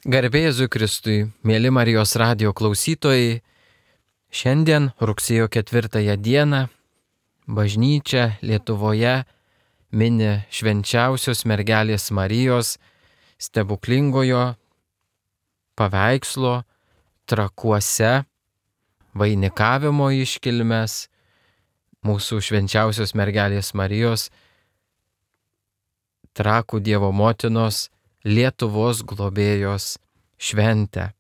Garbė Jėzui Kristui, mėly Marijos radijo klausytojai, šiandien rugsėjo 4 dieną bažnyčia Lietuvoje mini švenčiausios mergelės Marijos stebuklingojo paveikslo Trakuose vainikavimo iškilmes, mūsų švenčiausios mergelės Marijos, Trakų Dievo motinos, Lietuvos globėjos šventę.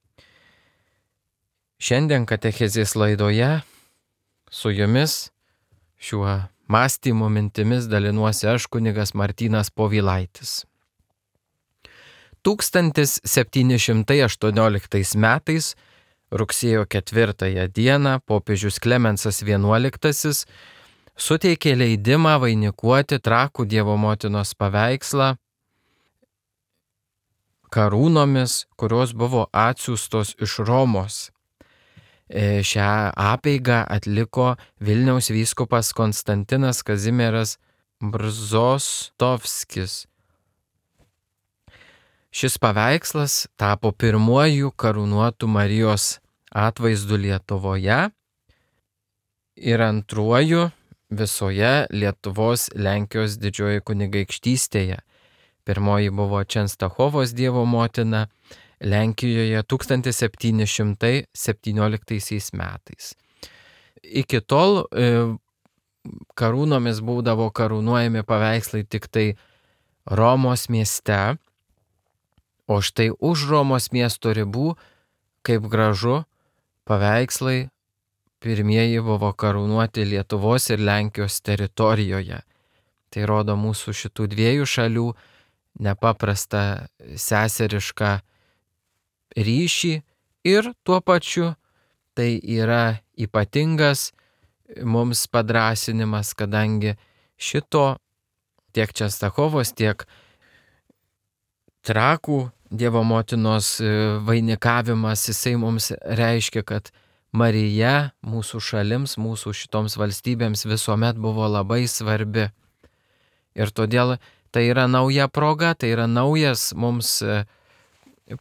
Šiandien katechezės laidoje su jumis šiuo mąstymo mintimis dalinuosi aš, kunigas Martynas Povilaitis. 1718 metais, rugsėjo 4 dieną, popiežius Klemensas XI suteikė leidimą vainikuoti Trakų Dievo motinos paveikslą karūnomis, kurios buvo atsiųstos iš Romos. Šią apeigą atliko Vilniaus vyskupas Konstantinas Kazimieras Brzostovskis. Šis paveikslas tapo pirmuoju karūnuotų Marijos atvaizdu Lietuvoje ir antruoju visoje Lietuvos Lenkijos didžiojoje kunigaikštystėje. Pirmoji buvo Čenstachovos Dievo motina Lenkijoje 1717 metais. Iki tol karūnomis būdavo karūnuojami paveikslai tik tai Romos mieste, o štai už Romos miesto ribų, kaip gražu, paveikslai pirmieji buvo karūnuoti Lietuvos ir Lenkijos teritorijoje. Tai rodo mūsų šitų dviejų šalių nepaprastą seserišką ryšį ir tuo pačiu tai yra ypatingas mums padrąsinimas, kadangi šito tiek Čenstachovos, tiek Trakų Dievo motinos vainikavimas, jisai mums reiškia, kad Marija mūsų šalims, mūsų šitoms valstybėms visuomet buvo labai svarbi. Ir todėl tai yra nauja proga, tai yra naujas mums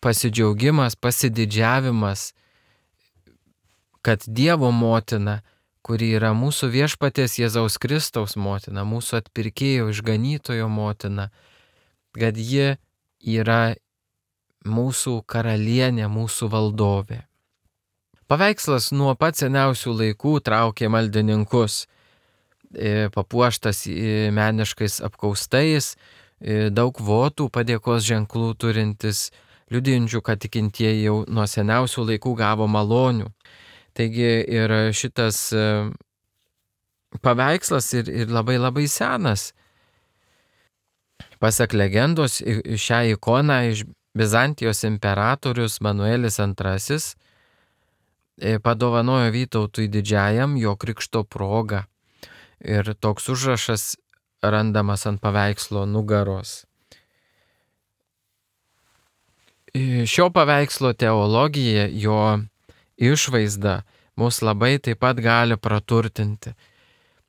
pasidžiaugimas, pasididžiavimas, kad Dievo motina, kuri yra mūsų viešpaties Jėzaus Kristaus motina, mūsų atpirkėjo išganytojo motina, kad ji yra mūsų karalienė, mūsų valdovė. Paveikslas nuo pat seniausių laikų traukė maldininkus, papuoštas meniškais apkaustais, daug votų padėkos ženklų turintis, liudijančių, kad tikintieji jau nuo seniausių laikų gavo malonių. Taigi ir šitas paveikslas ir labai senas. Pasak legendos, šią ikoną iš Bizantijos imperatorius Manuelis II padovanojo Vytautui Didžiajam jo krikšto proga. Ir toks užrašas randamas ant paveikslo nugaros. Šio paveikslo teologija, jo išvaizda mus labai taip pat gali praturtinti.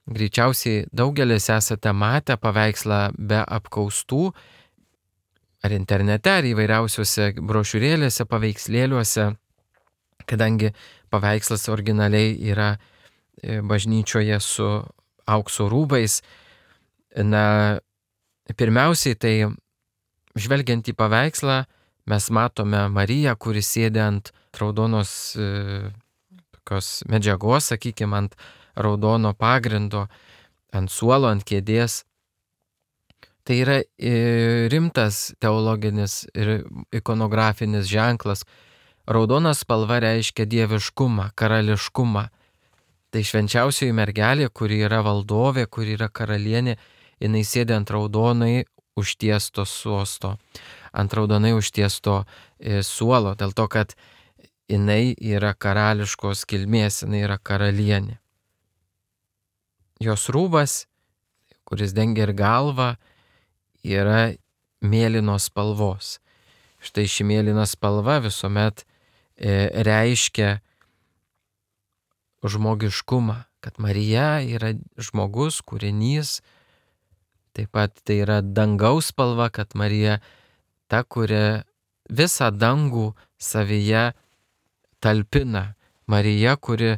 Greičiausiai daugelis esate matę paveikslą be apkaustų, ar internete, ar įvairiausiuose brošiūrėlėse, paveikslėliuose, kadangi paveikslas originaliai yra bažnyčioje su aukso rūbais. Na, pirmiausiai tai, žvelgiant į paveikslą, mes matome Mariją, kuri sėdi ant raudonos tokios medžiagos, sakykime, ant raudono pagrindo, ant suolo, ant kėdės. Tai yra rimtas teologinis ir ikonografinis ženklas. Raudona spalva reiškia dieviškumą, karališkumą. Tai švenčiausioji mergelė, kuri yra valdovė, kuri yra karalienė, jinai sėdi ant raudonai užtiesto sosto, ant raudonai užtiesto suolo, dėl to, kad jinai yra karališkos kilmės, jinai yra karalienė. Jos rūbas, kuris dengia ir galvą, yra mėlynos spalvos. Štai ši mėlyna spalva visuomet reiškia žmogiškumą, kad Marija yra žmogus, kūrinys. Taip pat tai yra dangaus spalva, kad Marija ta, kuria visą dangų savyje talpina. Marija, kuri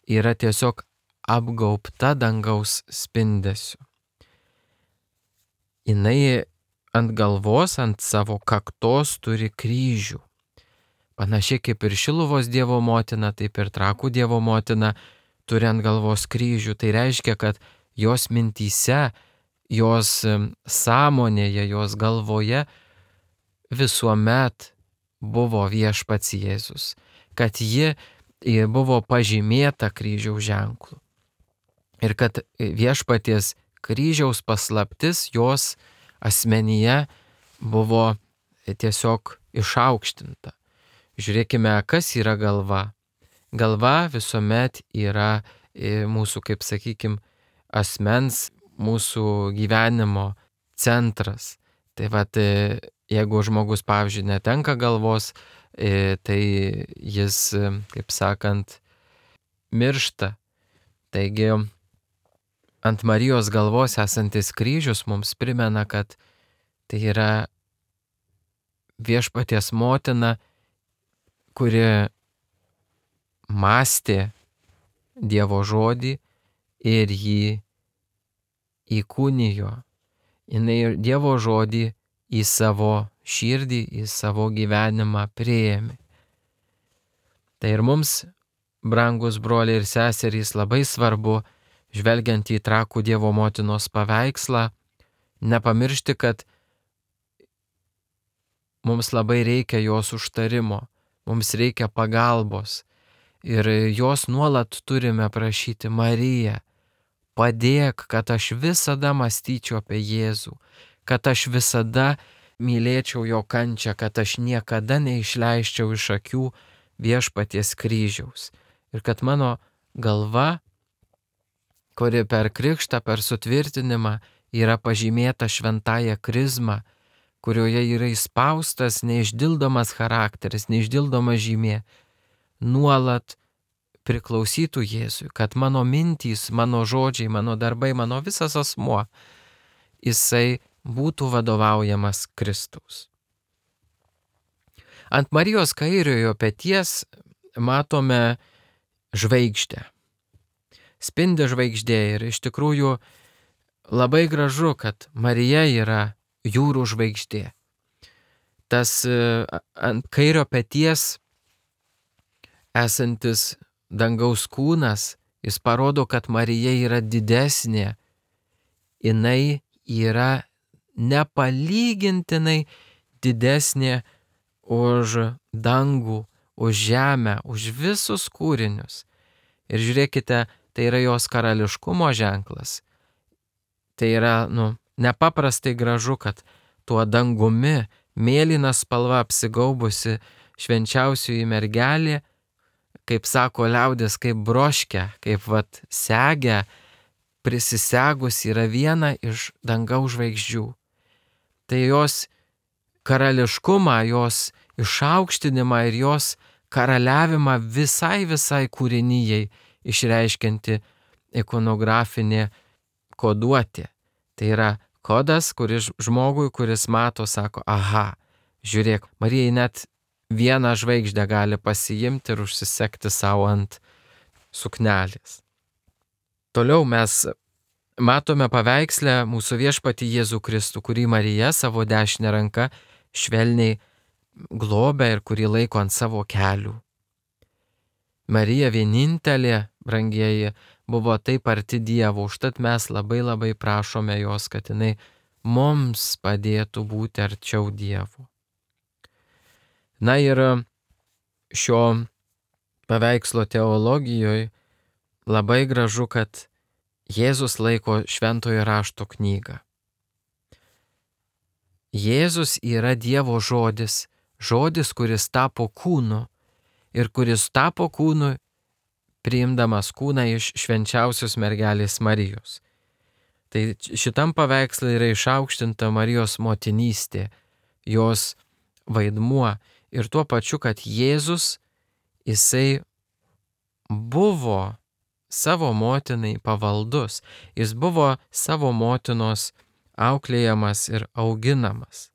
yra tiesiog apgaubta dangaus spindesiu. Jinai ant galvos, ant savo kaktos turi kryžių. Panašiai kaip ir Šiluvos Dievo motina, taip ir Trakų Dievo motina turi ant galvos kryžių. Tai reiškia, kad jos mintyse, jos sąmonėje, jos galvoje visuomet buvo viešpats Jėzus, kad ji buvo pažymėta kryžiaus ženklu. Ir kad viešpaties kryžiaus paslaptis jos asmenyje buvo tiesiog išaukštinta. Žiūrėkime, kas yra galva. Galva visuomet yra mūsų, kaip sakykim, asmens, mūsų gyvenimo centras. Tai vat, jeigu žmogus, pavyzdžiui, netenka galvos, tai jis, kaip sakant, miršta. Taigi, ant Marijos galvos esantis kryžius mums primena, kad tai yra viešpaties motina, kuri mąstė Dievo žodį ir jį įkūnijo. Jinai Dievo žodį į savo širdį, į savo gyvenimą priėmė. Tai ir mums, brangus broliai ir seserys, labai svarbu, žvelgiant į Trakų Dievo motinos paveikslą, nepamiršti, kad mums labai reikia jos užtarimo, mums reikia pagalbos ir jos nuolat turime prašyti: Marija, padėk, kad aš visada mąstyčiau apie Jėzų, kad aš visada mylėčiau jo kančią, kad aš niekada neišleiščiau iš akių viešpaties kryžiaus ir kad mano galva, kuri per krikštą, per sutvirtinimą yra pažymėta šventąja krizma, kurioje yra įspaustas neišdildomas charakteris, neišdildoma žymė, nuolat priklausytų Jėzui, kad mano mintys, mano žodžiai, mano darbai, mano visas asmuo, jisai būtų vadovaujamas Kristaus. Ant Marijos kairiojo peties matome žvaigždę. Spindi žvaigždė ir iš tikrųjų labai gražu, kad Marija yra jūrų žvaigždė. Tas ant kairio peties esantis dangaus kūnas, jis parodo, kad Marija yra didesnė. Jinai yra nepalygintinai didesnė už dangų, už žemę, už visus kūrinius. Ir žiūrėkite, tai yra jos karališkumo ženklas. Tai yra, nepaprastai gražu, kad tuo dangumi, mėlyna spalva apsigaubusi švenčiausioji mergelė, kaip sako liaudis, kaip broškia, kaip segė, prisisegus yra viena iš dangaus žvaigždžių. Tai jos karališkumą, jos išaukštinimą ir jos karaliavimą visai kūrinijai išreiškianti ikonografinė koduotė. Tai yra kodas, kuris žmogui, kuris mato, sako: aha, žiūrėk, Marijai net vieną žvaigždę gali pasiimti ir užsisekti savo ant suknelės. Toliau mes matome paveiksle mūsų viešpatį Jėzų Kristų, kurį Marija savo dešinę ranką švelniai globia ir kurį laiko ant savo kelių. Marija vienintelė, brangieji, buvo taip arti Dievo, užtat mes labai prašome jos, kad jinai mums padėtų būti arčiau Dievo. Na ir šio paveikslo teologijoje labai gražu, kad Jėzus laiko šventojo rašto knygą. Jėzus yra Dievo žodis, žodis, kuris tapo kūnu ir kuris tapo kūnu priimdamas kūną iš švenčiausios mergelės Marijos. Tai šitam paveikslui yra išaukštinta Marijos motinystė, jos vaidmuo ir tuo pačiu, kad Jėzus, jisai buvo savo motinai pavaldus, jis buvo savo motinos auklėjamas ir auginamas.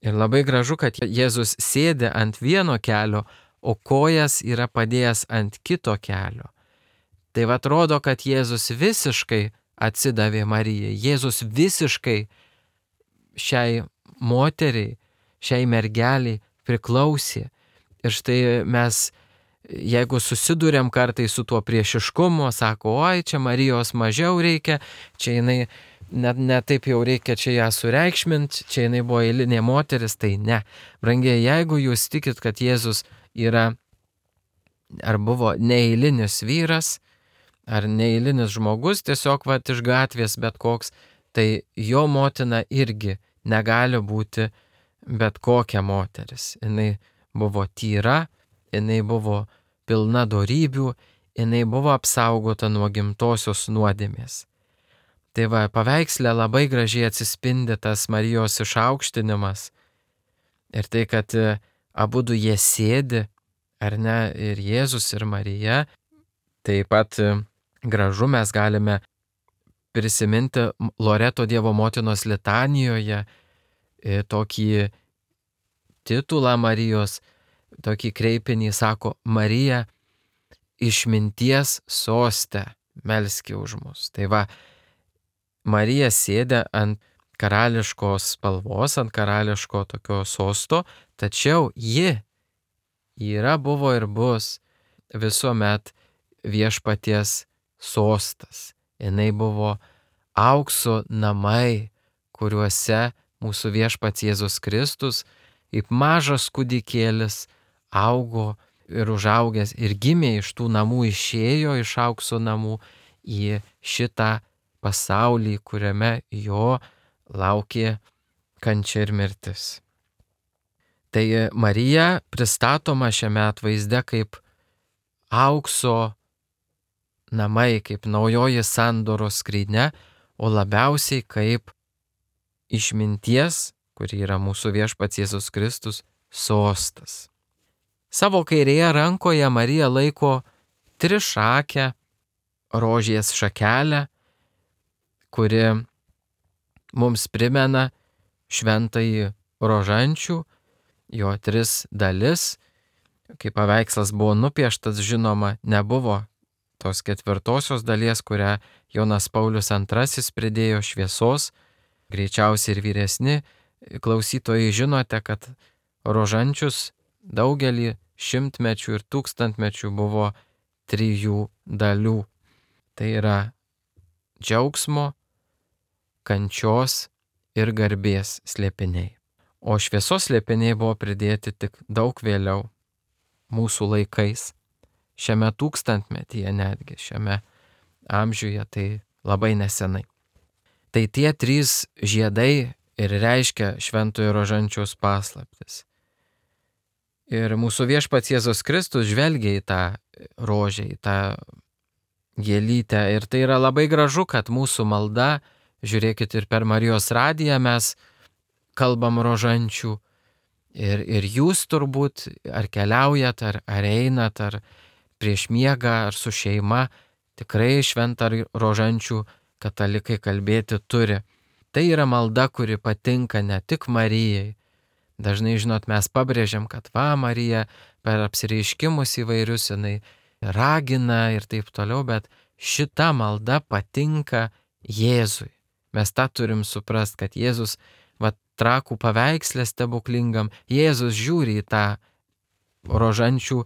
Ir labai gražu, kad Jėzus sėdi ant vieno kelio, o kojas yra padėjęs ant kito kelio. Tai atrodo, kad Jėzus visiškai atsidavė Marijai. Jėzus visiškai šiai moteriai, šiai mergeliai priklausė. Ir štai mes, jeigu susidurėm kartai su tuo priešiškumu, sako, oi, čia Marijos mažiau reikia, čia jinai ne taip jau reikia čia ją sureikšminti, čia jinai buvo eilinė moteris, tai ne. Brangiai, jeigu jūs tikit, kad Jėzus yra ar buvo neeilinis vyras, ar neeilinis žmogus, tiesiog iš gatvės bet koks, tai jo motina irgi negali būti bet kokia moteris. Jinai buvo tyra, jinai buvo pilna dorybių, jinai buvo apsaugota nuo gimtosios nuodėmės. Tai paveiksle labai gražiai atsispindi tas Marijos išaukštinimas ir tai, kad abudu jie sėdi, ar ne, ir Jėzus, ir Marija. Taip pat gražu mes galime prisiminti Loreto Dievo motinos litanijoje tokį titulą Marijos, tokį kreipinį, sako, Marija, išminties soste, melski už mus. Tai Marija sėdė ant karališkos spalvos, ant karališko tokio sosto, tačiau ji yra, buvo ir bus visuomet viešpaties sostas. Jinai buvo aukso namai, kuriuose mūsų viešpats Jėzus Kristus, kaip mažas kūdikėlis, augo ir užaugęs ir gimė iš tų namų, išėjo iš aukso namų į šitą pasaulį, kuriame jo laukė kančia ir mirtis. Tai Marija pristatoma šiame atvaizde kaip aukso namai, kaip naujoji sandoros skrynia, o labiausiai kaip išminties, kuri yra mūsų viešpats Jėzus Kristus, sostas. Savo kairėje rankoje Marija laiko trišakę rožės šakelę, kuri mums primena šventąjį rožančių, jo 3 dalis. Kai paveikslas buvo nupieštas, žinoma, nebuvo tos 4 dalies, kurią Jonas Paulius II pridėjo šviesos. Greičiausiai ir vyresni klausytojai žinote, kad rožančius daugelį šimtmečių ir tūkstantmečių buvo 3 dalių. Tai yra džiaugsmo, kančios ir garbės slėpiniai. O šviesos slėpiniai buvo pridėti tik daug vėliau, mūsų laikais, šiame tūkstantmetyje netgi, šiame amžiuje, tai labai nesenai. Tai tie 3 žiedai ir reiškia šventojo rožančiaus paslaptis. Ir mūsų viešpats Jėzus Kristus žvelgia į tą rožę, į tą gėlytę. Ir tai yra labai gražu, kad mūsų malda, žiūrėkit, ir per Marijos radiją mes kalbam rožančių. Ir jūs turbūt ar keliaujat, ar einat, ar prieš miegą, ar su šeima, tikrai šventą rožančių katalikai kalbėti turi. Tai yra malda, kuri patinka ne tik Marijai. Dažnai, žinot, mes pabrėžiam, kad Marija per apsireiškimus įvairius jinai ragina ir taip toliau, bet šita malda patinka Jėzui. Mes tą turim suprast, kad Jėzus, trakų paveikslė stebuklingam, Jėzus žiūri į tą rožančių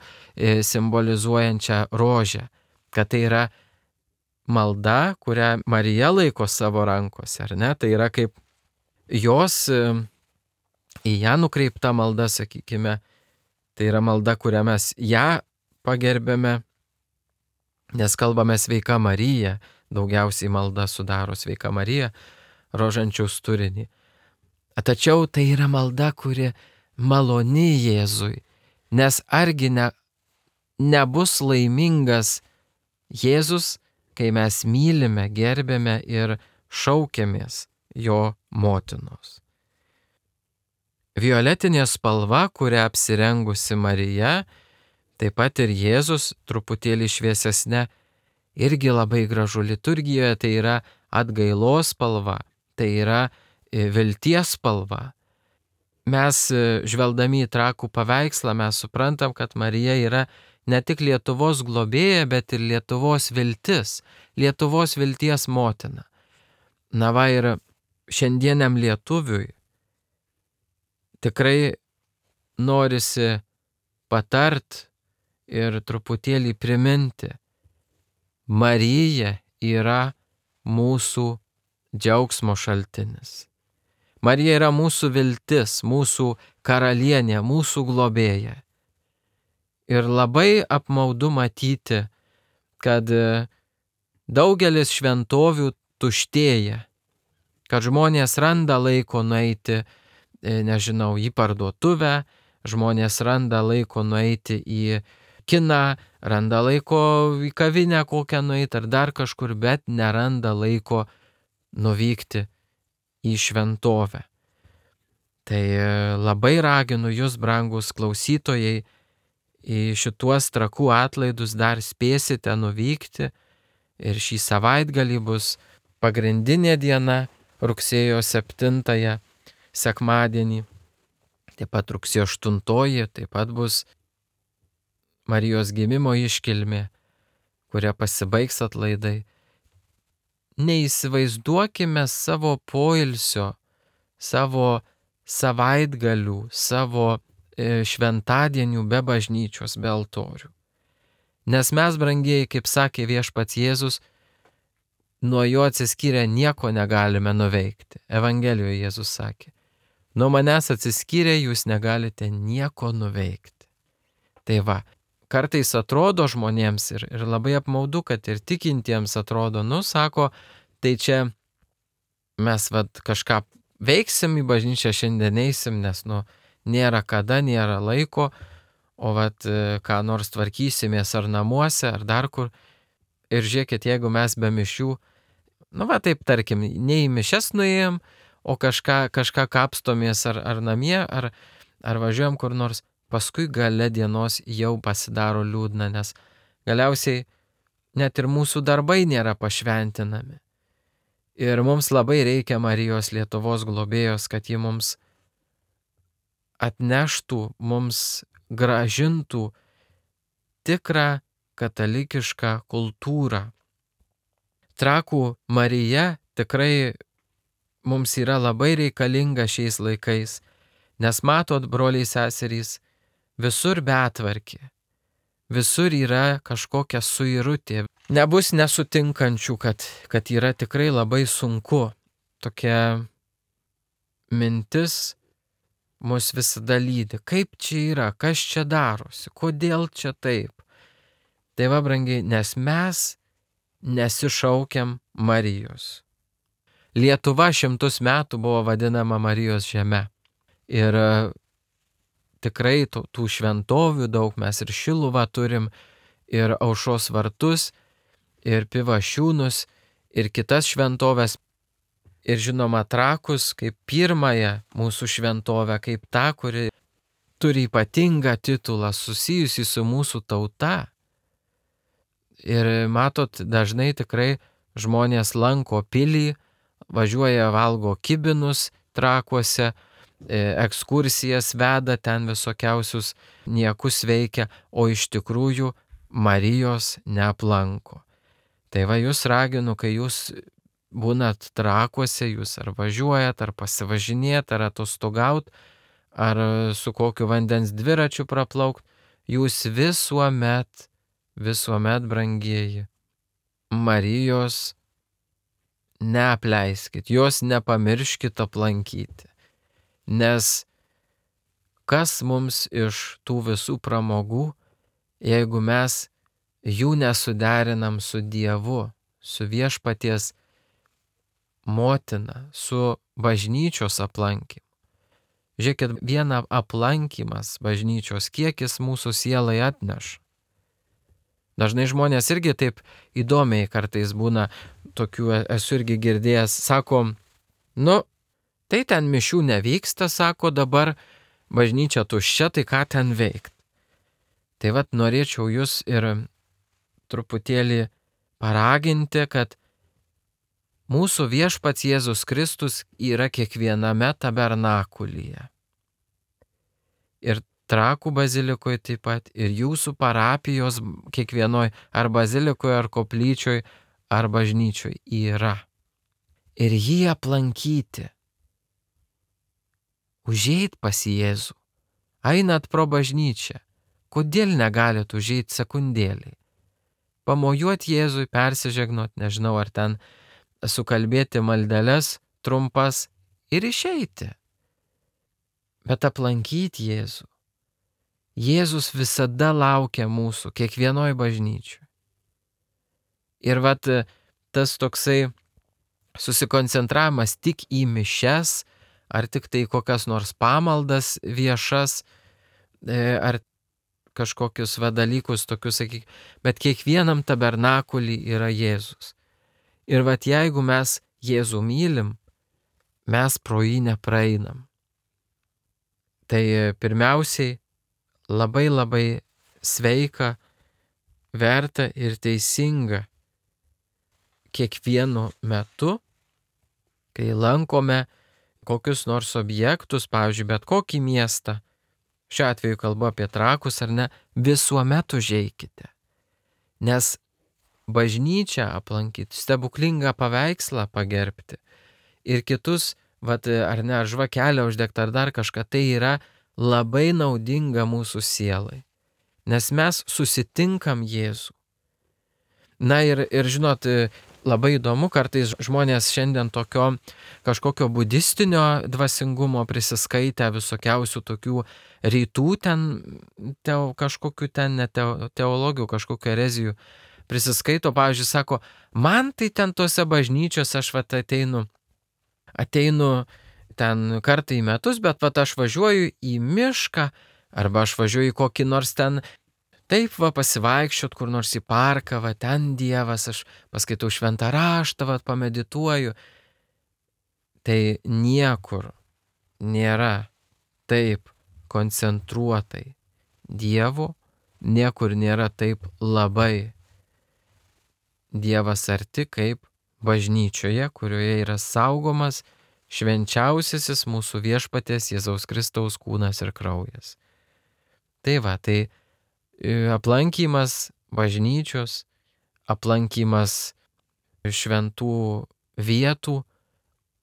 simbolizuojančią rožę, kad tai yra malda, kurią Marija laiko savo rankose, ar ne? Tai yra kaip jos į ją nukreipta malda, sakykime, tai yra malda, kurią mes ją pagerbėme, nes kalbame sveika Marija, daugiausiai malda sudaro sveika Marija, rožančiaus turinį. Tačiau tai yra malda, kuri maloni Jėzui, nes argi nebus laimingas Jėzus, kai mes mylime, gerbėme ir šaukiamės jo motinos. Violetinė spalva, kurią apsirengusi Marija, taip pat ir Jėzus truputėlį šviesesnė, irgi labai gražu. Liturgijoje tai yra atgailos spalva, tai yra vilties spalva. mes žvelgdami į Trakų paveikslą, mes suprantam, kad Marija yra ne tik Lietuvos globėja, bet ir Lietuvos viltis, Lietuvos vilties motina. Na va, ir šiandieniam lietuviui tikrai norisi patart ir truputėlį priminti. Marija yra mūsų džiaugsmo šaltinis. Marija yra mūsų viltis, mūsų karalienė, mūsų globėja. Ir labai apmaudu matyti, kad daugelis šventovių tuštėja, kad žmonės randa laiko nueiti, nežinau, į parduotuvę, žmonės randa laiko nueiti į kiną, randa laiko į kavinę kokią nueiti ar dar kažkur, bet neranda laiko nuvykti į šventovę. Tai labai raginu jūs, brangus klausytojai, į šituos Trakų atlaidus dar spėsite nuvykti ir šį savaitgalį bus pagrindinė diena, rugsėjo 7, sekmadienį, taip pat rugsėjo 8, taip pat bus Marijos gimimo iškilmė, kuria pasibaigs atlaidai. Neįsivaizduokime savo poilsio, savo savaitgalių, savo šventadienių be bažnyčios, be altorių. Nes mes, brangieji, kaip sakė viešpats Jėzus, nuo jo atsiskyrę nieko negalime nuveikti. Evangelijoje Jėzus sakė, nuo manęs atsiskyrę jūs negalite nieko nuveikti. Tai va, kartais atrodo žmonėms ir labai apmaudu, kad ir tikintiems atrodo, sako, tai čia mes kažką veiksim į bažnyčią, šiandien eisim, nes nėra kada, nėra laiko, o ką nors tvarkysimės ar namuose, ar dar kur. Ir žiūrėkit, jeigu mes be mišių, taip tarkim, ne į mišias nuėjom, o kažką kapstomės ar namie, ar važiuojam kur nors, paskui gale dienos jau pasidaro liūdna, nes galiausiai net ir mūsų darbai nėra pašventinami. Ir mums labai reikia Marijos Lietuvos globėjos, kad ji mums atneštų, mums gražintų tikrą katalikišką kultūrą. Trakų Marija tikrai mums yra labai reikalinga šiais laikais, nes matot, broliai seserys, visur betvarkė, visur yra kažkokia suirutė. Nebus nesutinkančių, kad yra tikrai labai sunku. Tokia mintis mus visada lydi. Kaip čia yra, kas čia darosi, kodėl čia taip. Tai va, brangiai, nes mes nesišaukiam Marijos. Lietuva 100 metų buvo vadinama Marijos žeme. Ir tikrai tų šventovių daug, mes ir Šiluvą turim, ir Aušros vartus, ir Pivašiūnus, ir kitas šventovės. Ir žinoma Trakus kaip pirmąją mūsų šventovę, kaip tą, kuri turi ypatingą titulą susijusį su mūsų tauta. Ir matot, dažnai tikrai žmonės lanko pilį, važiuoja valgo kibinus Trakuose, ekskursijas veda, ten visokiausius niekus veikia, o iš tikrųjų Marijos neaplanko. Tai va, jūs raginu, kai jūs būnat Trakuose, jūs ar važiuojat, ar pasivažinėt, ar atostogaut, ar su kokiu vandens dviračiu praplaukt, jūs visuomet, brangieji, Marijos neapleiskit, jos nepamirškit aplankyti. Nes kas mums iš tų visų pramogų, jeigu mes jų nesuderinam su Dievu, su viešpaties motina, su bažnyčios aplankymu. Žiūrėkit, vieną aplankymas bažnyčios, kiek jis mūsų sielai atneša. Dažnai žmonės irgi taip įdomiai kartais būna, tokių esu irgi girdėjęs, sako, tai ten mišių nevyksta, sako, dabar bažnyčia tuščia, tai ką ten veikt. Tai norėčiau jūs ir truputėlį paraginti, kad mūsų viešpats Jėzus Kristus yra kiekviename tabernakulyje. ir Trakų bazilikoje taip pat, ir jūsų parapijos kiekvienoj ar bazilikoje, ar koplyčioj, ar bažnyčioj yra. Ir jį aplankyti. Užeit pas Jėzų. Einat pro bažnyčią. Kodėl negalit užeit sekundėlį? Pamojuot Jėzui, persižegnot, nežinau, ar ten sukalbėti maldeles trumpas ir išeiti. Bet aplankyti Jėzų. Jėzus visada laukia mūsų, kiekvienoj bažnyčioj. Ir vat tas toksai susikoncentravimas tik į mišias, ar tik tai kokias nors pamaldas viešas, ar kažkokius dalykus tokius, sakyk, bet kiekvienam tabernakulį yra Jėzus. Ir vat jeigu mes Jėzų mylim, mes pro jį nepraeinam. Tai pirmiausiai labai sveika, verta ir teisinga kiekvienu metu, kai lankome kokius nors objektus, pavyzdžiui, bet kokį miestą, šiuo atveju kalbu apie Trakus ar ne, visuomet užeikite. Nes bažnyčią aplankyti, stebuklingą paveikslą pagerbti ir kitus, ar ne, žvakelę uždegti ar dar kažką, tai yra labai naudinga mūsų sielai. Nes mes susitinkam Jėzų. Na ir žinot, labai įdomu, kartais žmonės šiandien tokio kažkokio budistinio dvasingumo prisiskaitę visokiausių tokių rytų ten, kažkokių ten teologijų, kažkokių erezijų prisiskaito, pavyzdžiui, sako, man tai ten tose bažnyčiose aš ateinu ten kartą į metus, bet aš važiuoju į mišką, arba aš važiuoju į kokį nors ten, taip pasivaikščiot kur nors į parką, ten Dievas, aš paskaitau šventą raštą, pamedituoju. Tai niekur nėra taip koncentruotai Dievo, niekur nėra taip labai Dievas arti kaip bažnyčioje, kurioje yra saugomas švenčiausiasis mūsų viešpaties Jėzaus Kristaus kūnas ir kraujas. Tai aplankymas bažnyčios, aplankymas šventų vietų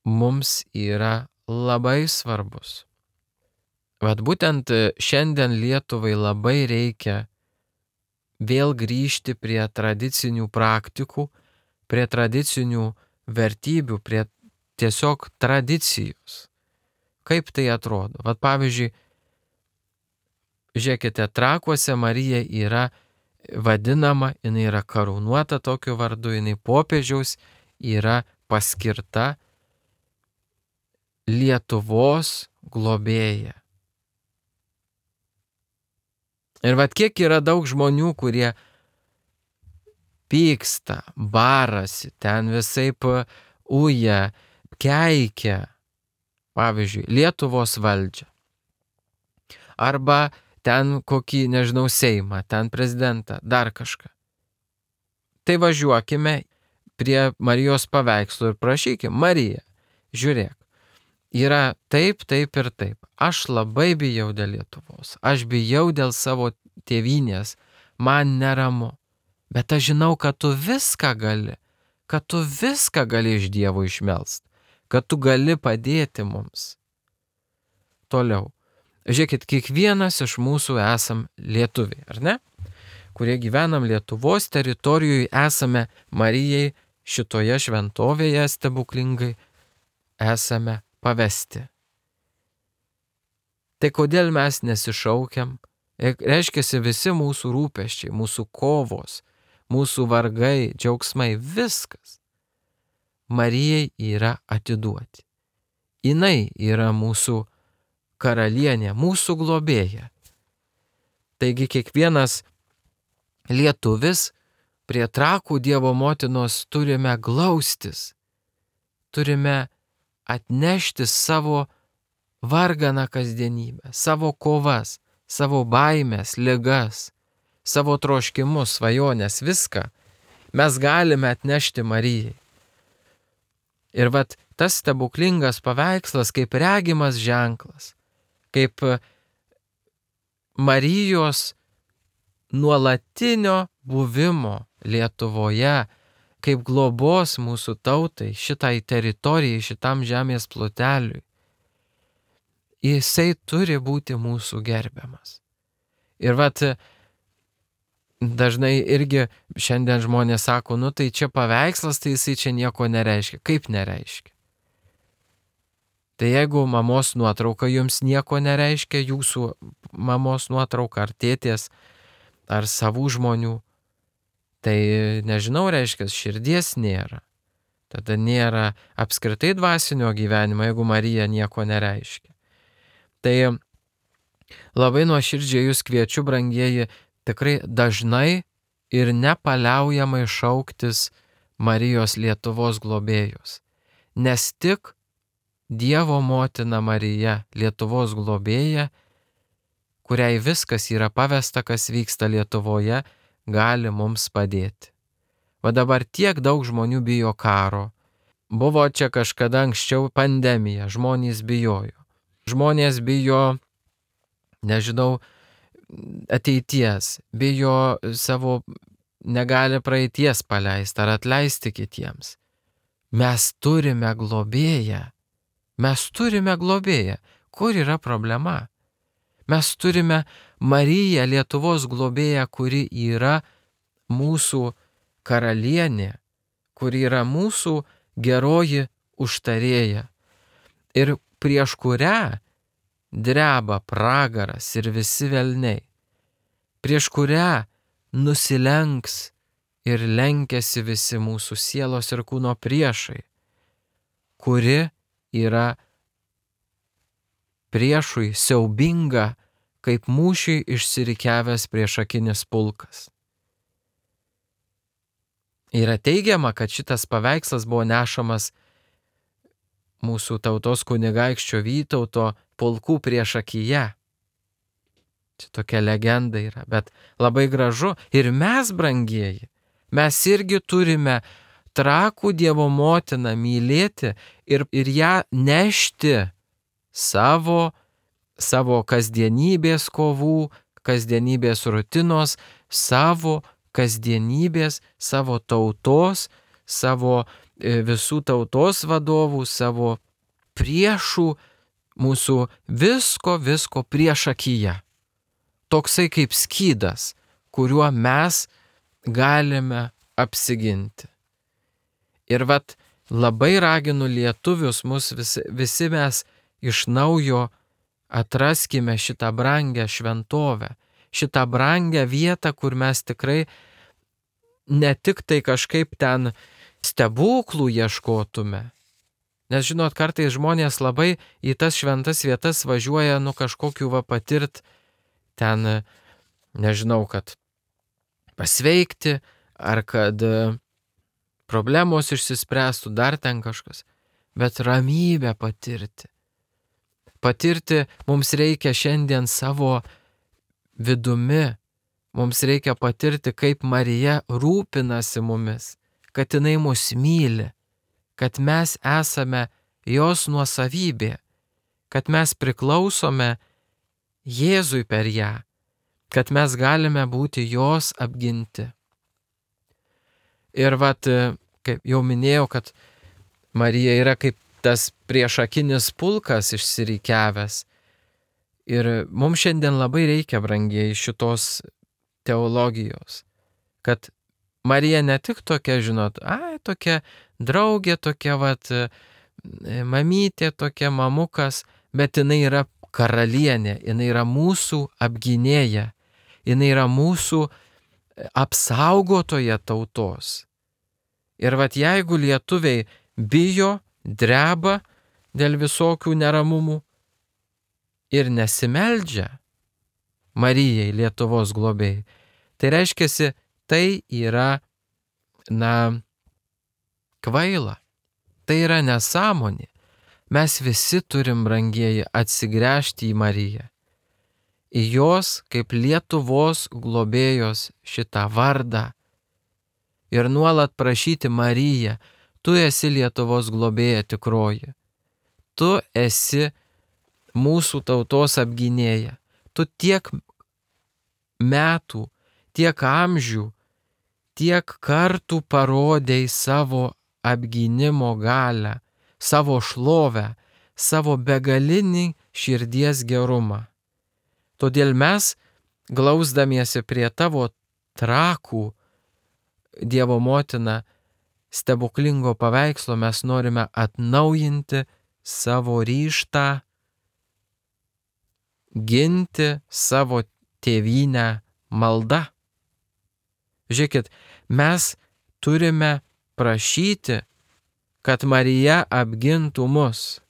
mums yra labai svarbus. Būtent šiandien Lietuvai labai reikia vėl grįžti prie tradicinių praktikų, prie tradicinių vertybių, prie tiesiog tradicijos. Kaip tai atrodo? Pavyzdžiui, žiūrėkite, Trakuose Marija yra vadinama, jinai yra karūnuota tokiu vardu, jinai popiežiaus yra paskirta Lietuvos globėja. Ir kiek yra daug žmonių, kurie pyksta, barasi, ten visaip uja, keikia, pavyzdžiui, Lietuvos valdžią. Arba ten kokį, nežinau, Seimą, ten prezidentą, dar kažką. Tai važiuokime prie Marijos paveikslo ir prašykime, Marija, žiūrėk, yra taip ir taip. Aš labai bijau dėl Lietuvos, aš bijau dėl savo tėvynės, man neramu. Bet aš žinau, kad tu viską gali, iš Dievo išmelst, kad tu gali padėti mums. Toliau. Žiūrėkit, kiekvienas iš mūsų esam lietuviai, ar ne? Kurie gyvenam Lietuvos teritorijoje, esame Marijai šitoje šventovėje stebuklingai, esame pavesti. Tai kodėl mes nesišaukiam? Reiškiasi visi mūsų rūpesčiai, mūsų kovos, mūsų vargai, džiaugsmai, viskas Marijai yra atiduoti. Jinai yra mūsų karalienė, mūsų globėja. Taigi kiekvienas lietuvis prie Trakų Dievo motinos turime glaustis, turime atnešti savo varganą kasdienybę, savo kovas, savo baimės, ligas, savo troškimus, svajonės, viską mes galime atnešti Marijai. Ir tas stebuklingas paveikslas kaip regimas ženklas, kaip Marijos nuolatinio buvimo Lietuvoje, kaip globos mūsų tautai, šitai teritorijai, šitam žemės ploteliui. Jisai turi būti mūsų gerbiamas. Ir dažnai irgi šiandien žmonės sako, tai čia paveikslas, tai jisai čia nieko nereiškia. Kaip nereiškia? Tai jeigu mamos nuotrauka jums nieko nereiškia, jūsų mamos nuotrauka ar tėtės, ar savų žmonių, tai nežinau, reiškia, širdies nėra. Tada nėra apskritai dvasinio gyvenimo, jeigu Marija nieko nereiškia. Tai labai nuoširdžiai jūs kviečiu, brangieji, tikrai dažnai ir nepaliaujamai šauktis Marijos Lietuvos globėjos. Nes tik Dievo motina Marija, Lietuvos globėja, kuriai viskas yra pavesta, kas vyksta Lietuvoje, gali mums padėti. Va dabar tiek daug žmonių bijo karo. Buvo čia kažkada anksčiau pandemija, žmonės bijojo. Žmonės bijo, nežinau, ateities, bijo savo, negali praeities paleisti ar atleisti kitiems. Mes turime globėją. Mes turime globėją. Kur yra problema? Mes turime Mariją, Lietuvos globėją, kuri yra mūsų karalienė, kuri yra mūsų geroji užtarėja ir prieš kurią dreba pragaras ir visi velniai, prieš kurią nusilenks ir lenkiasi visi mūsų sielos ir kūno priešai, kuri yra priešui siaubinga, kaip mūšiui išsirikiavęs priešakinis pulkas. Yra teigiama, kad šitas paveikslas buvo nešamas mūsų tautos kunigaikščio Vytauto pulkų priešakyje. Čia tokia legenda yra, bet labai gražu. Ir mes, brangieji, mes irgi turime Trakų Dievo motiną mylėti ir ją nešti savo kasdienybės kovų, kasdienybės rutinos, savo kasdienybės, savo tautos, savo visų tautos vadovų, savo priešų, mūsų visko priešakyje. Toksai kaip skydas, kuriuo mes galime apsiginti. Ir labai raginu lietuvius, mus visi mes iš naujo atraskime šitą brangę šventovę, šitą brangę vietą, kur mes tikrai ne tik tai kažkaip ten stebuklų ieškotume. Nes žinot, kartais žmonės labai į tas šventas vietas važiuoja, kažkokiu patirt ten, nežinau, kad pasveikti, ar kad problemos išsispręstų, dar ten kažkas, bet ramybę patirti. Patirti mums reikia šiandien savo vidumi, mums reikia patirti, kaip Marija rūpinasi mumis, kad jinai mus myli, kad mes esame jos nuosavybė, kad mes priklausome Jėzui per ją, kad mes galime būti jos apginti. Ir kaip jau minėjau, kad Marija yra kaip tas priešakinis pulkas išsirikiavęs. Ir mums šiandien labai reikia, brangieji, šitos teologijos, kad Marija ne tik tokia, žinot, tokia draugė, tokia mamytė, tokia mamukas, bet jinai yra karalienė, jinai yra mūsų apgynėja, jinai yra mūsų apsaugotoja tautos. Ir jeigu lietuviai bijo, dreba dėl visokių neramumų ir nesimeldžia Marijai, Lietuvos globėjai, tai reiškia, tai yra, kvaila, tai yra nesąmonė. Mes visi turim, brangieji, atsigręžti į Mariją, į jos kaip Lietuvos globėjos šitą vardą ir nuolat prašyti: Marija, tu esi Lietuvos globėja tikroji, tu esi mūsų tautos apgynėja, tu tiek metų, tiek amžių, tiek kartų parodėjai savo apgynimo galią, savo šlovę, savo begalinį širdies gerumą. Todėl mes, glausdamiesi prie tavo trakų, Dievo motina, stebuklingo paveikslo, mes norime atnaujinti savo ryžtą, ginti savo tėvynę malda. Žiūrėkit, mes turime prašyti, kad Marija apgintų mus.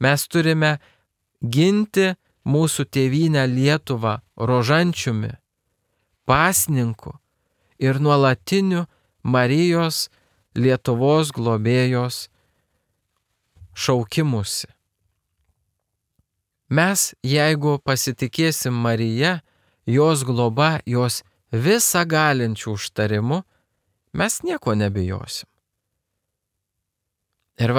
Mes turime ginti mūsų tėvynę Lietuvą rožančiumi, pasninku ir nuolatiniu Marijos Lietuvos globėjos šaukimusi. Mes, jeigu pasitikėsim Marija, jos globa, jos visą galinčių užtarimu, mes nieko nebijosim. Ir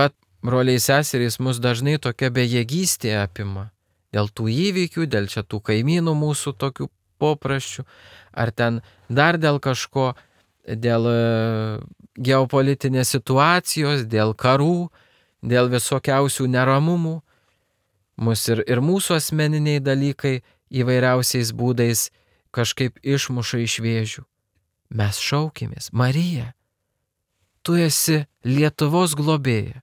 broliai seserys, mus dažnai tokia bejėgystė apima. Dėl tų įvykių, dėl čia tų kaimynų mūsų tokių popraščių, ar ten dar dėl kažko, dėl geopolitinės situacijos, dėl karų, dėl visokiausių neramumų. Mus ir mūsų asmeniniai dalykai įvairiausiais būdais kažkaip išmuša iš vėžių. Mes šaukimės, Marija, tu esi Lietuvos globėja,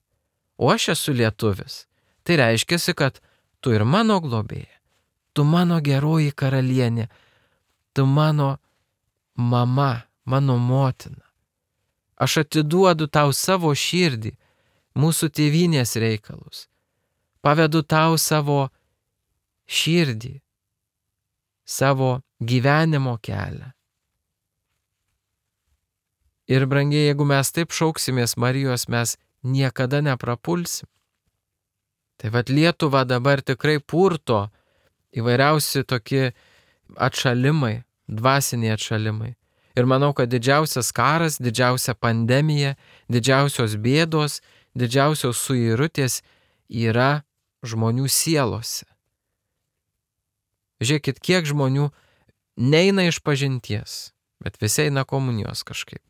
o aš esu lietuvis. Tai reiškia, kad tu ir mano globėja, tu mano geroji karalienė, tu mano mama, mano motina. Aš atiduodu tau savo širdį, mūsų tėvynės reikalus. Pavedu tau savo širdį, savo gyvenimo kelią. Ir brangiai, jeigu mes taip šauksimės Marijos, mes niekada neprapulsim. Tai Lietuva dabar tikrai purto įvairiausi tokie atšalimai, dvasiniai atšalimai. Ir manau, kad didžiausias karas, didžiausia pandemija, didžiausios bėdos, didžiausios suirutės yra žmonių sielose. Žiūrėkit, kiek žmonių neina iš pažinties, bet visi eina komunijos kažkaip.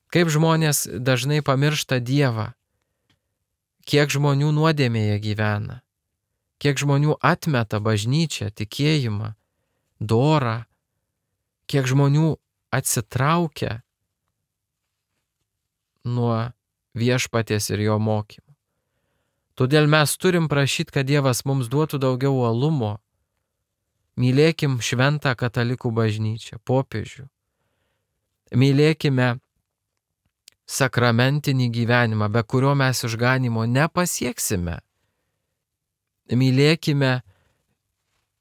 Kaip žmonės dažnai pamiršta Dievą, kiek žmonių nuodėmėje gyvena, kiek žmonių atmeta bažnyčią, tikėjimą, dorą, kiek žmonių atsitraukia nuo viešpaties ir jo mokymų. Todėl mes turim prašyti, kad Dievas mums duotų daugiau uolumo. Mylėkim šventą katalikų bažnyčią, popiežių. Mylėkime sakramentinį gyvenimą, be kurio mes išganimo nepasieksime. Mylėkime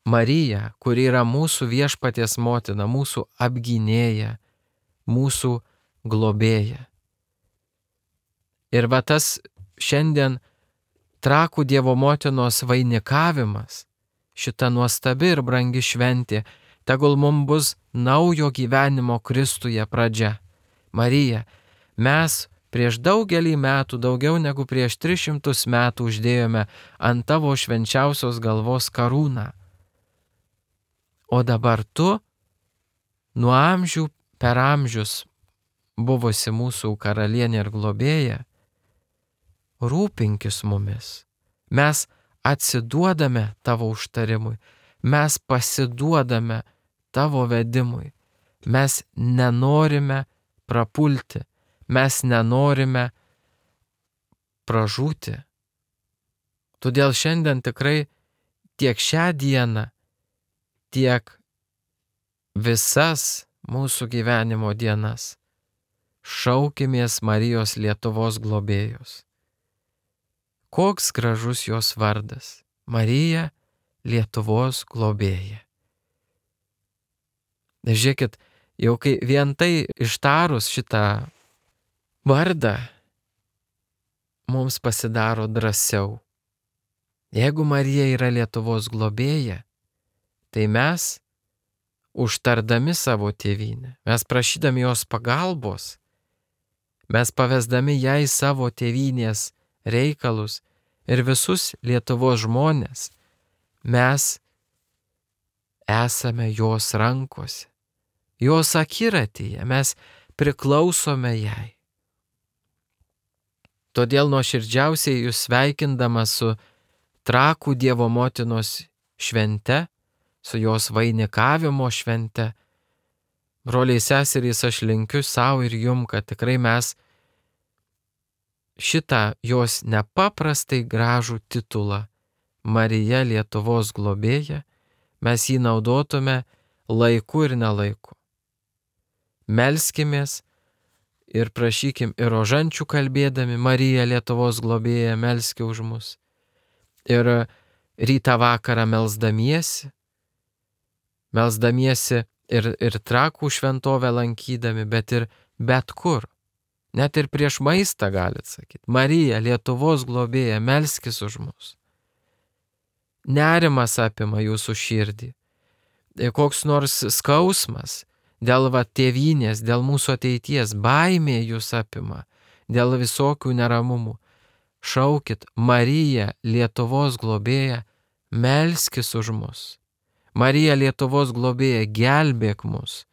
Mariją, kuri yra mūsų viešpaties motina, mūsų apgynėja, mūsų globėja. Ir tas šiandien Trakų Dievo motinos vainikavimas, šita nuostabi ir brangi šventė, tegul mums bus naujo gyvenimo Kristuje pradžia. Marija, mes prieš daugelį metų, daugiau negu prieš 300 metų uždėjome ant tavo švenčiausios galvos karūną. O dabar tu, nuo amžių per amžius buvusi mūsų karalienė ir globėja, rūpinkis mumis. Mes atsiduodame tavo užtarimui, mes pasiduodame tavo vedimui, mes nenorime prapulti, mes nenorime pražūti. Todėl šiandien tikrai tiek šią dieną, tiek visas mūsų gyvenimo dienas šaukimės Marijos Lietuvos globėjos. Koks gražus jos vardas – Marija Lietuvos globėja. Žiūrėkit, jau kai vien tai ištarus šitą vardą, mums pasidaro drąsiau. Jeigu Marija yra Lietuvos globėja, tai mes, užtardami savo tėvynę, mes prašydami jos pagalbos, mes pavesdami jai savo tėvynės reikalus ir visus Lietuvos žmonės, mes esame jos rankose, jos akiratyje, mes priklausome jai. Todėl nuoširdžiausiai jūs sveikindamas su Trakų Dievo motinos švente, su jos vainikavimo švente, broliai seserys, aš linkiu savo ir jum, kad tikrai mes šitą jos nepaprastai gražų titulą Marija Lietuvos globėja, mes jį naudotume laiku ir nelaiku. Melskimės ir prašykim ir rožančių kalbėdami, Marija Lietuvos globėja, melski už mus. Ir rytą vakarą melsdamiesi ir Trakų šventovę lankydami, bet ir bet kur. Net ir prieš maistą galit sakyti. Marija Lietuvos globėja, melskis už mus. Nerimas apima jūsų širdį. Koks nors skausmas dėl tėvynės, dėl mūsų ateities, baimė jūs apima, dėl visokių neramumų. Šaukit, Marija Lietuvos globėja, melskis už mus. Marija Lietuvos globėja, gelbėk mus.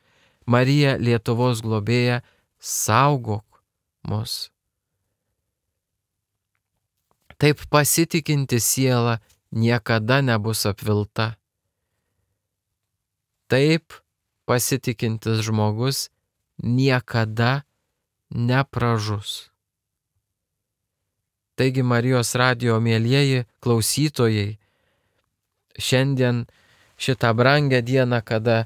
Marija Lietuvos globėja, saugok mus. Taip pasitikinti siela niekada nebus apvilta. Taip pasitikintis žmogus niekada nepražus. Taigi Marijos radijo mielieji klausytojai, šiandien šitą brangę dieną, kada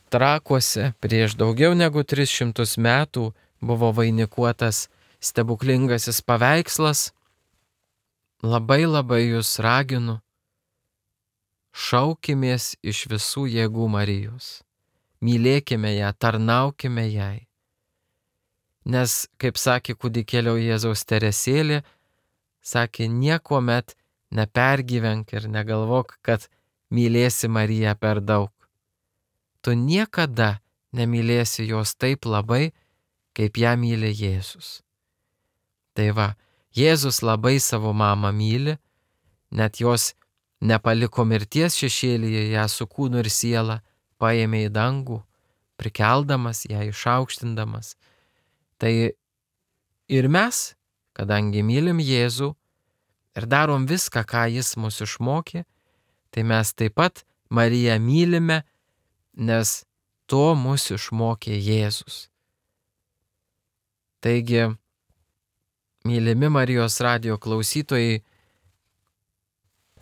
Trakuose prieš daugiau negu 300 metų buvo vainikuotas stebuklingasis paveikslas, labai jūs raginu, šaukimės iš visų jėgų Marijos, mylėkime ją, tarnaukime jai. Nes, kaip sakė kūdikėlio Jėzaus Teresėlė, sakė, niekuomet nepergyvenk ir negalvok, kad mylėsi Mariją per daug. Tu niekada nemylėsi jos taip labai, kaip ją myli Jėzus. Tai va, Jėzus labai savo mamą myli, net jos nepaliko mirties šešėlyje, ją su kūnu ir siela paėmė į dangų, prikeldamas ją, išaukštindamas. Tai ir mes, kadangi mylim Jėzų ir darom viską, ką jis mus išmokė, tai mes taip pat Mariją mylime, nes to mus išmokė Jėzus. Taigi, mylimi Marijos radijo klausytojai,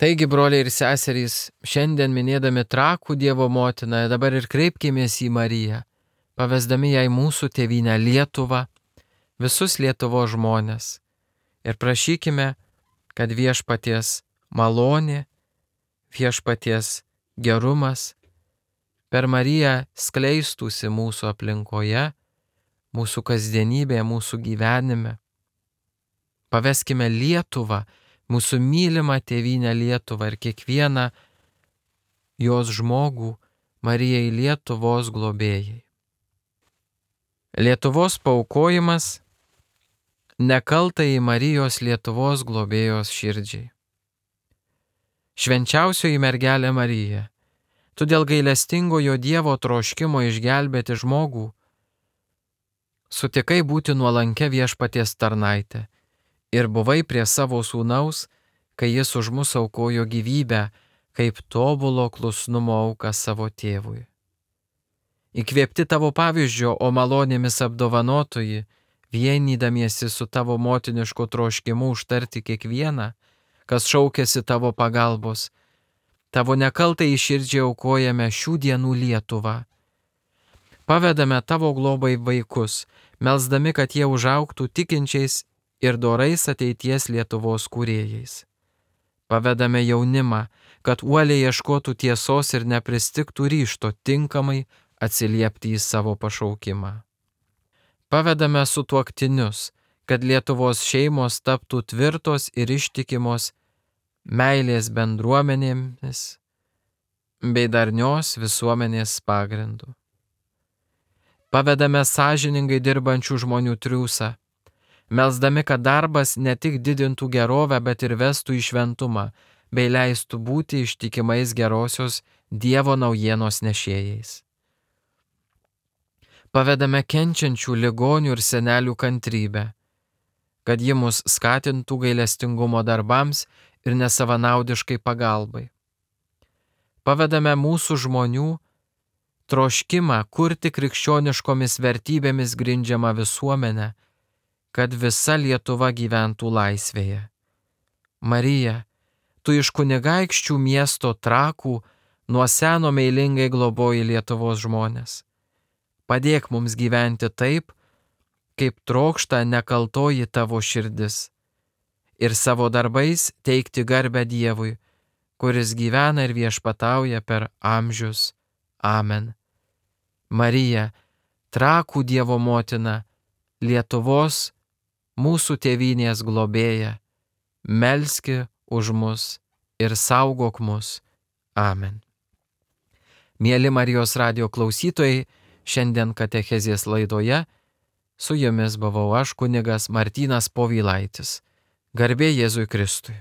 taigi, broliai ir seserys, šiandien minėdami Trakų Dievo motiną, dabar ir kreipkimės į Mariją, pavesdami jai mūsų tėvynę Lietuvą, visus Lietuvos žmonės ir prašykime, kad viešpaties malonė, viešpaties gerumas per Mariją skleistųsi mūsų aplinkoje, mūsų kasdienybėje, mūsų gyvenime. Paveskime Lietuvą, mūsų mylimą tėvynę Lietuvą ir kiekvieną jos žmogų Marijai Lietuvos globėjai. Lietuvos paaukojimas nekaltai Marijos Lietuvos globėjos širdžiai. Švenčiausioji mergelė Marija, tu dėl gailestingojo Dievo troškimo išgelbėti žmogų sutikai būti nuolankia viešpaties tarnaitė ir buvai prie savo sūnaus, kai jis už mus aukojo gyvybę, kaip tobulo klusnumo auką savo tėvui. Įkvėpti tavo pavyzdžio, o malonėmis apdovanotoji, vienydamiesi su tavo motinišku troškimu užtarti kiekvieną, kas šaukėsi tavo pagalbos, tavo nekaltai širdžiai aukojame šių dienų Lietuvą. Pavedame tavo globai vaikus, melsdami, kad jie užaugtų tikinčiais ir dorais ateities Lietuvos kūrėjais. Pavedame jaunimą, kad uoliai ieškotų tiesos ir nepristigtų ryžto tinkamai atsiliepti į savo pašaukimą. Pavedame sutuoktinius, kad Lietuvos šeimos taptų tvirtos ir ištikimos meilės bendruomenėmis bei darnios visuomenės pagrindu. Pavedame sąžiningai dirbančių žmonių triūsą, melsdami, kad darbas ne tik didintų gerovę, bet ir vestų į šventumą, bei leistų būti ištikimais gerosios Dievo naujienos nešėjais. Pavedame kenčiančių ligonių ir senelių kantrybę, kad ji mus skatintų gailestingumo darbams ir nesavanaudiškai pagalbai. Pavedame mūsų žmonių troškimą kurti krikščioniškomis vertybėmis grindžiamą visuomenę, kad visa Lietuva gyventų laisvėje. Marija, tu iš kunigaikščių miesto Trakų nuo seno meilingai globoji Lietuvos žmonės. Padėk mums gyventi taip, kaip trokšta nekaltoji tavo širdis, ir savo darbais teikti garbę Dievui, kuris gyvena ir viešpatauja per amžius. Amen. Marija, Trakų Dievo motina, Lietuvos, mūsų tėvynės globėja, melski už mus ir saugok mus. Amen. Mieli Marijos radijo klausytojai, šiandien katechezės laidoje su jumis buvau aš, kunigas Martynas Povilaitis. Garbė Jėzui Kristui.